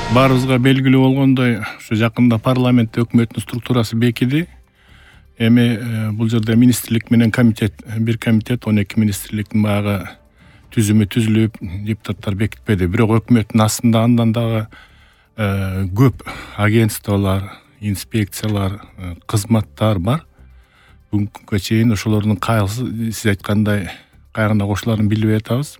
Баарыбызга белгилүү болгондой, ушу жакында парламентте өкмөттүн структурасы бекиди. Эми бул жерде министрлик менен бир комитет 12 министрликтин баягы түзүмү түзүлүп, депутаттар бекитпеди. Бирок өкмөттүн астында андан дагы көп агентстволор, инспекциялар, кызматтар бар. Бүгүнкүгө чейин ошолордун кайсы сиз айткандай кайгына кошуларын билбей атабыз.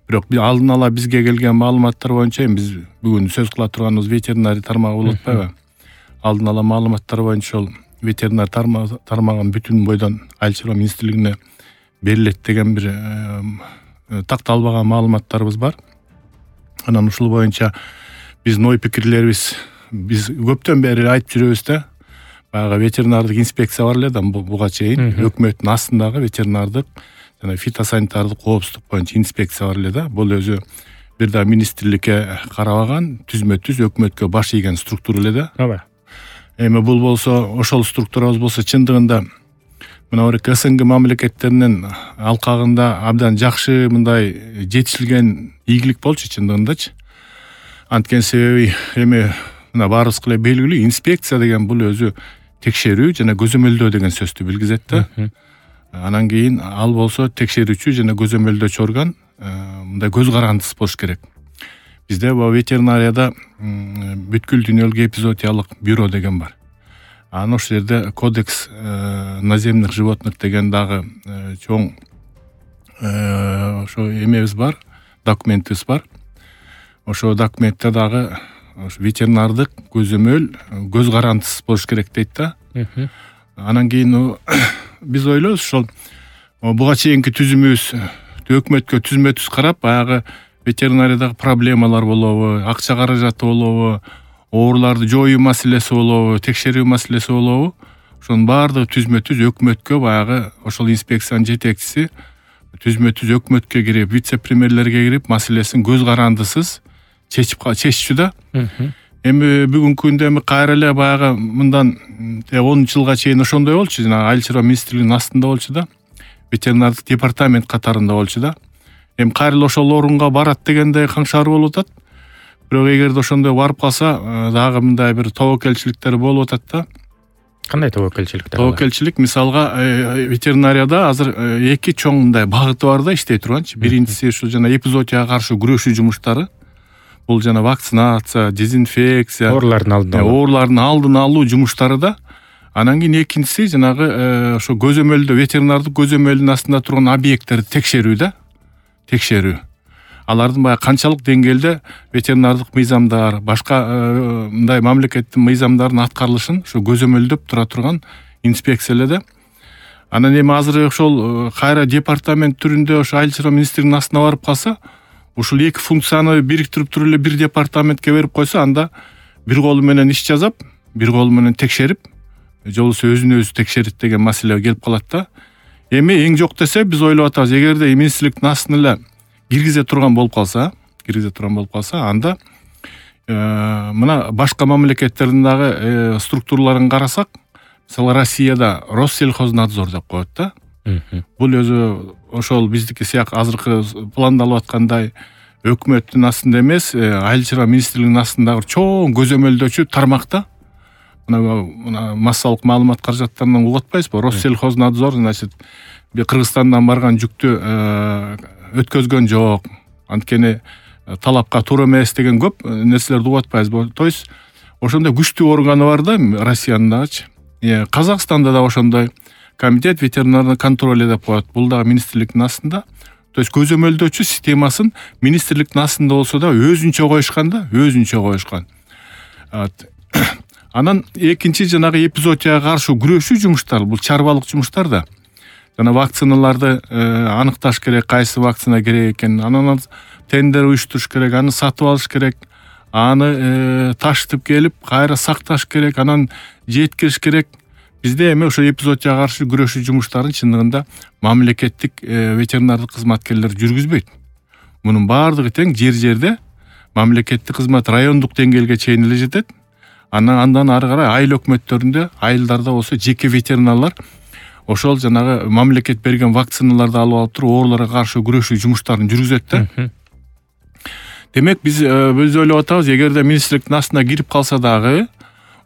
Бирок алдын ала бизге келген маалыматтар боюнча, биз бүгүн сөз кыла турганыбыз ветеринарий тармагы болуп атпайбы? Алдын ала маалыматтар боюнча ол ветеринарий тармагын бүтүн бойдон Айыл чарба министрлигине берилет деген бир такталбаган маалыматтарыбыз бар. Анан ушул боюнча биздин ой пикирлерибиз биз көптөн бери айтып жүрөбүз да. Баягы ветеринардык инспекция бар эле да буга чейин өкмөттүн астындагы ветеринардык жана фитосанитардык коопсуздук боюнча инспекция бар эле да. Бул өзү бир да министрликке карабаган, түзмө-түз өкмөткө баш ийген структура эле да. Ооба. Эми бул болсо, ошол структурабыз болсо чындыгында мына СНГ мамлекеттеринин алкагында абдан жакшы мындай жетишилген ийгилик болчу чындыгындачы. Анткени себеби эми мына баарыбызга эле белгилүү, инспекция деген бул өзү текшерүү жана көзөмөлдөө деген сөздү билгизет да. Анан кийин ал болсо текшерүүчү жана көзөмөлдөөчү орган, мындай көз карандысыз болуш керек. Бизде бул ветеринарияда бүткүл дүйнөлүк эпизоотиялык бюро деген бар. Анан ошол жерде кодекс наземных животных деген дагы чоң ошо эмебиз бар, документибиз бар. Ошол документте дагы ветеринардык көзөмөл көз карандысыз болуш керек дейт да. Анан кийин биз ойлойбуз ошол буга чейинки түзүмүбүз өкмөткө түзмө-түз карап, баягы ветеринариядагы проблемалар болобу, акча каражаты болобу, ооруларды жоюу маселеси болобу, текшерүү маселеси болобу, ошонун баардыгы түзмө-түз өкмөткө баягы ошол инспекциянын жетекчиси түзмө-түз өкмөткө кирип, вице-премьерлерге кирип, маселесин көз карандысыз чечишчү да. Эми бүгүнкү күндө кайра эле баягы мындан 10 жылга чейин ошондой болчу, жана Айыл чарба министрлигинин астында болчу да. Ветеринардык департамент катарында болчу да. Эми кайра эле ошол орунга барат дегенде каңшар болуп атат. Бирок эгерде ошондой барып калса, дагы мындай бир тобокелчиликтер болуп атат да. Кандай тобокелчиликтер? Тобокелчилик мисалга ветеринарияда азыр эки чоң мындай багыты бар да иштей турганчы. Биринчиси ушул жана эпизоотияга каршы күрөшүү жумуштары. Бул жана вакцинация, дезинфекция, оорулардын алдын алуу жумуштары да. Анан кийин экинчиси жанагы ошо көзөмөлдөө, ветеринардык көзөмөлдүн астында турган объекттерди текшерүү да. Текшерүү. Алардын баягы канчалык деңгээлде ветеринардык мыйзамдар, башка мындай мамлекеттин мыйзамдарын аткарылышын ошо көзөмөлдөп тура турган инспекция эле да. Анан эми азыр ошол кайра департамент түрүндө ошо Айыл чарба министрлигинин астына барып калса, ушул эки функцияны бириктирип туруп эле бир департаментке берип койсо, анда бир колу менен иш жазап, бир колу менен текшерип, же болбосо өзүн өзү текшерит деген маселе келип калат да. Эми эң жок десе биз ойлоп атабыз, эгерде министрликтин астына эле киргизе турган болуп калса, анда мына башка мамлекеттердин дагы структураларын карасак, мисалы Россияда Россельхознадзор деп коет да. Бул өзү ошол биздики сыяк азыркы пландалып аткандай өкмөттүн астында эмес, Айыл чарба министрлигинин астындагы чоң көзөмөлдөөчү тармакта. Мына массалык маалымат каражаттарынан угуп атпайсызбы? Россельхознадзор, значит, Кыргызстандан барган жүктү өткөзгөн жок. Анткени талапка туура эмес деген көп нерселерди угуп атпайсызбы? То есть ошондой күчтүү органы бар да Россиянын дагычы. Казакстанда да ошондой комитет ветеринарный контроль деп коет. Бул дагы министрликтин астында. То есть көзөмөлдөөчү системасын министрликтин астында болсо да өзүнчө коюшкан да, өзүнчө коюшкан. Анан экинчи жанагы эпизоотияга каршы күрөшүү жумуштары, бул чарбалык жумуштар да. Жана вакциналарды аныкташ керек, кайсы вакцина керек экенин, анан тендер уюштуруш керек, аны сатып алыш керек, аны ташытып келип, кайра сакташ керек, анан жеткириш керек. Бизде эми ошо эпизоотияга каршы күрөшүү жумуштарын чындыгында мамлекеттик ветеринардык кызматкерлер жүргүзбөйт. Мунун баардыгы тең жер-жерде мамлекеттик кызмат райондук деңгээлге чейин эле жетет. Андан ары карай айыл өкмөттөрүндө, айылдарда болсо жеке ветеринарлар ошол жанагы мамлекет берген вакциналарды алып туруп ооруларга каршы күрөшүү жумуштарын жүргүзөт да. Демек биз ойлоп атабыз, эгерде министрликтин астына кирип калса дагы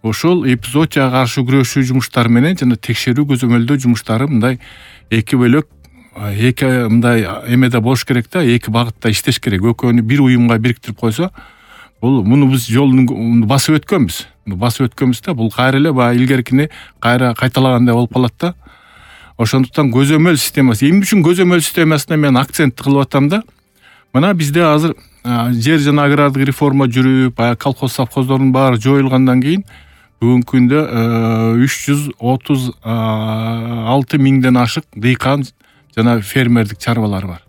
ошол эпизоотияга каршы күрөшүү жумуштары менен жана текшерүү көзөмөлдөө жумуштары мындай эки бөлөк, эки мындай эмеде болуш керек да, эки багытта иштеш керек. Экөөнү бир уюмга бириктирип койсо, муну биз жолун басып өткөнбүз да, бул кайра эле баягы илгеркини кайра кайталагандай болуп калат да. Ошондуктан көзөмөл системасы, эмне үчүн көзөмөл системасына мен акцент кылып атам да, мына бизде азыр жер жана агрардык реформа жүрүп, баягы колхоз совхоздордун баары жоюлгандан кийин бүгүнкү күндө 336 миңден ашык дыйкан жана фермердик чарбалар бар.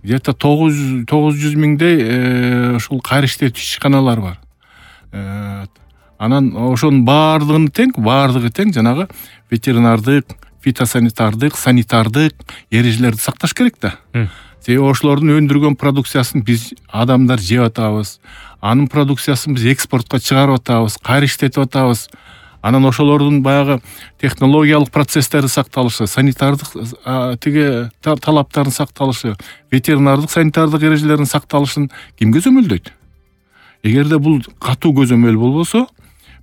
Где-то 900 миңдей ушул кайра иштетүү ишканалар бар. Анан ошонун баардыгы тең жанагы ветеринардык, фитосанитардык, санитардык эрежелерди сакташ керек да. Себеби ошолордун өндүргөн продукциясын биз адамдар жеп атабыз. Анын продукциясын биз экспортко чыгарып атабыз, кайра иштетип атабыз. Анан ошолордун баягы технологиялык процесстери сакталышы, санитардык талаптардын сакталышы, ветеринардык, санитардык эрежелердин сакталышын ким көзөмөлдөйт? Эгерде бул катуу көзөмөл болбосо,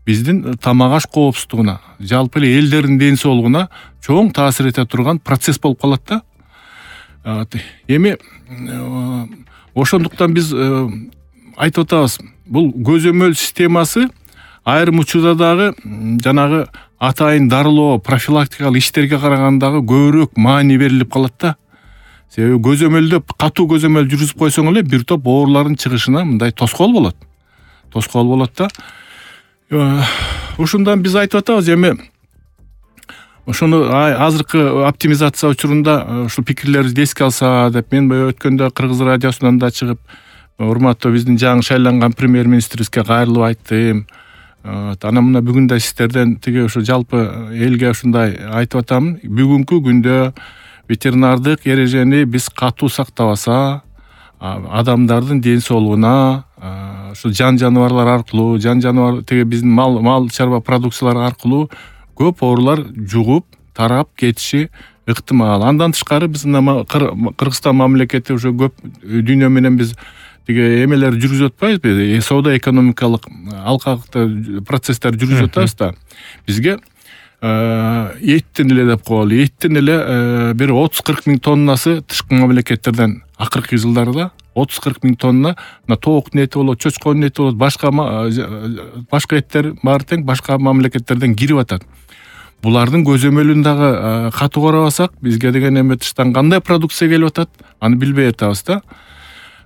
биздин тамак аш коопсуздугуна, жалпы эле элдердин ден соолугуна чоң таасир эте турган процесс болуп калат да. Эми ошондуктан биз айтып атабыз, бул көзөмөл системасы айрым учурда дагы жанагы атайын дарылоо, профилактикалык иштерге караганда көбүрөөк маани берилип калат да. Себеби катуу көзөмөл жүргүзүп койсоң эле бир топ оорулардын чыгышына мындай тоскоол болот да. Ушундан биз айтып атабыз, эми ошону азыркы оптимизация учурунда ушул пикирлерибизди эске алса деп, мен өткөндө Кыргыз радиосунан да чыгып, урматтуу биздин жаңы шайланган премьер-министрибизге кайрылып айттым. Анан мына бүгүн да сиздерден ушу жалпы элге ушундай айтып атам. Бүгүнкү күндө ветеринардык эрежени биз катуу сактабаса, адамдардын ден соолугуна, ушу жаныбарлар аркылуу, биздин мал чарба продукциялары аркылуу көп оорулар жугуп, тарап кетиши ыктымал. Андан тышкары биз Кыргызстан мамлекети уже көп дүйнө менен биз эмелер жүргүзүп атпайбызбы? Соода экономикалык алкактуу процесстер жүргүзүп атабыз да. Бизге эттин эле деп коелу. Эттин эле бир 30-40 миң тоннасы тышкы мамлекеттерден акыркы жылдарда 30-40 миң тонна тооктун эти болот, чочконун эти болот, башка эттер баары тең башка мамлекеттерден кирип атат. Булардын көзөмөлүн дагы катуу карабасак, бизге деген эме тыштан кандай продукция келип атат, аны билбей атабыз да.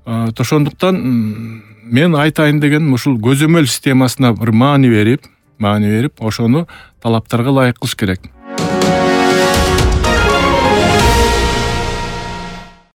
Ошондуктан мен айтайын деген ушул көзөмөл системасына бир маани берип, ошону талаптарга ылайык кылыш керек.